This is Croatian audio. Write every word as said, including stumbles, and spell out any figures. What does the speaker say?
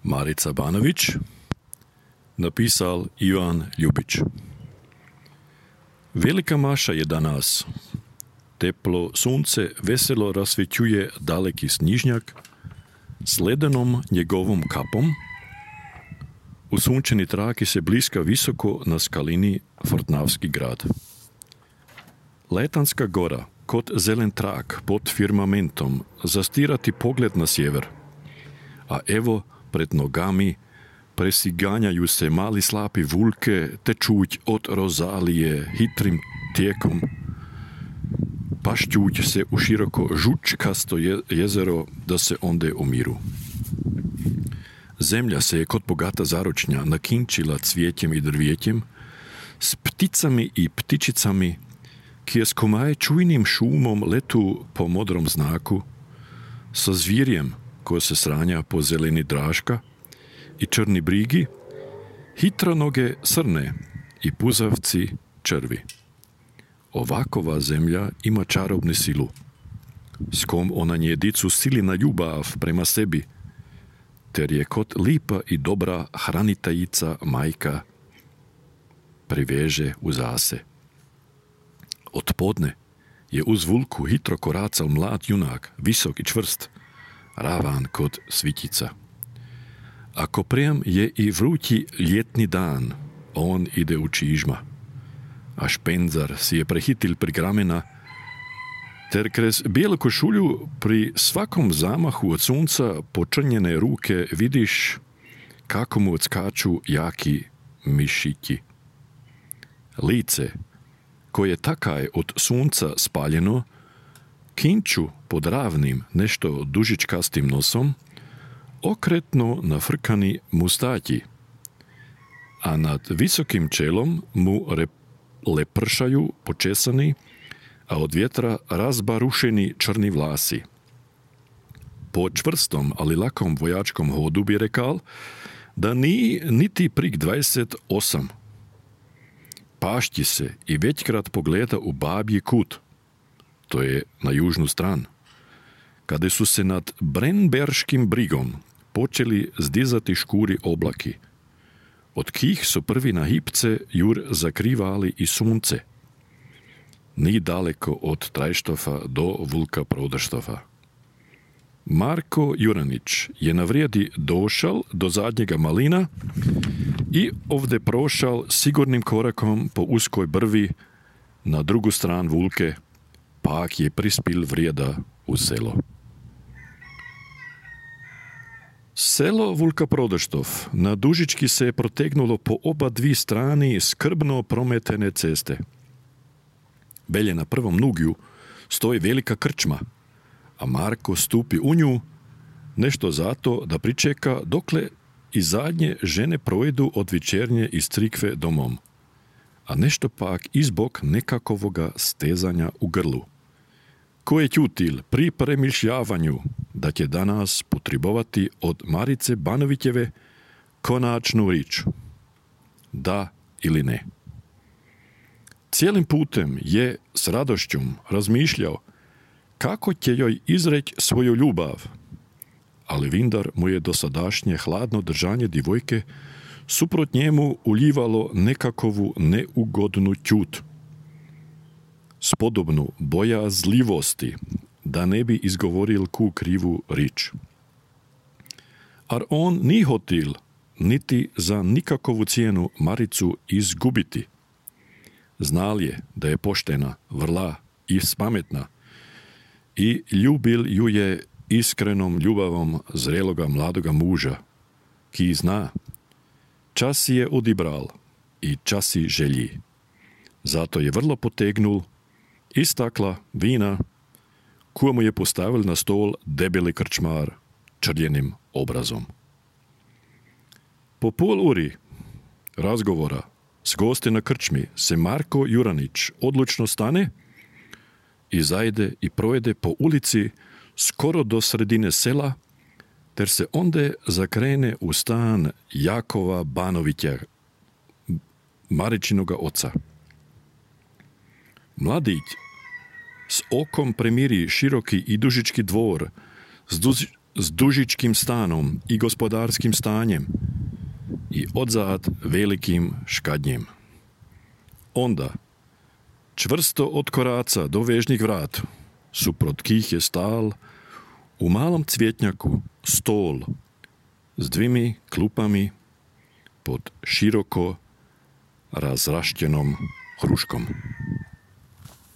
Marica Banović, napisal Ivan Ljubić. Velika maša je danas. Teplo sunce veselo rasvećuje daleki snižnjak s ledenom njegovom kapom. U sunčeni traki se bliska visoko na skalini Fortnavski grad. Letanska gora, kot zelen trak pod firmamentom, zastirati pogled na sjever. A evo pred nogami presiganjaju se mali slapi vulke, tečuć od Rozalije hitrim tijekom, pašćuć se u široko žučkasto jezero da se onde umiru. Zemlja se je kod bogata zaročnja nakinčila cvijetjem i drvijetjem, s pticami i ptičicami, kje s komaj čujnim šumom letu po modrom znaku, sa zvirjem ko se sranja po zeleni draška i črni brigi, hitronoge srne i puzavci črvi. Ovakova zemlja ima čarobnu silu, s kom ona njedicu sili na ljubav prema sebi, ter je kot lipa i dobra hranitajica majka priveže u zase. Odpodne je uz vulku hitro koracal mlad junak, visok i čvrst, ravan kod svitica. Ako prijem je i vrući ljetni dan, on ide u čižma, a špenzar si je prehitil pri gramena, ter krez bijelu košulju pri svakom zamahu od sunca počrnjene ruke vidiš kako mu odskaču jaki mišići. Lice, koje takaj od sunca spaljeno, kinču pod ravnim nešto dužičkastim nosom, okretno nafrkani mustaći, a nad visokim čelom mu rep lepršaju počesani, a od vjetra razbarušeni črni vlasi. Po čvrstom, ali lakom vojačkom hodu bi rekal, da ni niti prik dvadeset osam. Pašti se i većkrat pogleda u babji kut, to je na južnu stran, kada su se nad Brenberškim brigom počeli zdizati škuri oblaki, od kih su prvi na hipce jur zakrivali i sunce. Ni daleko od Trajštofa do Vulka Prodaštofa. Marko Juranić je na vrijedi došal do zadnjega malina i ovdje prošal sigurnim korakom po uskoj brvi na drugu stran Vulke, pak je prispil vrijeda u selo. Selo Vulka Prodaštov na dužički se je protegnulo po oba dvi strani skrbno prometene ceste. Belje na prvom nugju stoji velika krčma, a Marko stupi u nju nešto zato da pričeka dokle i zadnje žene projedu od večernje iz crikve domom, a nešto pak izbog nekakovoga stezanja u grlu. Ko je ćutil pri premišljavanju da će danas potrebovati od Marice Banovićeve konačnu rič? Da ili ne? Cijelim putem je s radošćom razmišljao kako će joj izreć svoju ljubav, ali Vindar mu je dosadašnje hladno držanje divojke suprot njemu uljivalo nekakovu neugodnu ćut, spodobnu bojazljivosti da ne bi izgovoril ku krivu rič. Ar on ni hotil niti za nikakovu cijenu Maricu izgubiti. Znal je da je poštena, vrla i spametna i ljubil ju je iskrenom ljubavom zreloga mladoga muža, ki zna, čas je odibral i časi želji. Zato je vrlo potegnul istakla vina, koja mu je postavil na stol debeli krčmar črljenim obrazom. Po pol uri razgovora s gosti na krčmi se Marko Juranić odlučno stane i zajde i projede po ulici skoro do sredine sela, ter se onde zakrene u stan Jakova Banovića, Maričinoga oca. Mladić s okom premiri široki i dužički dvor s, duž, s dužičkim stanom i gospodarskim stanjem i odzad velikim škadnjem. Onda čvrsto od koraca do vežnih vrat, suprot kých je stál u malom cvjetnjaku stol s dvimi klupami pod široko razraštenom hruškom.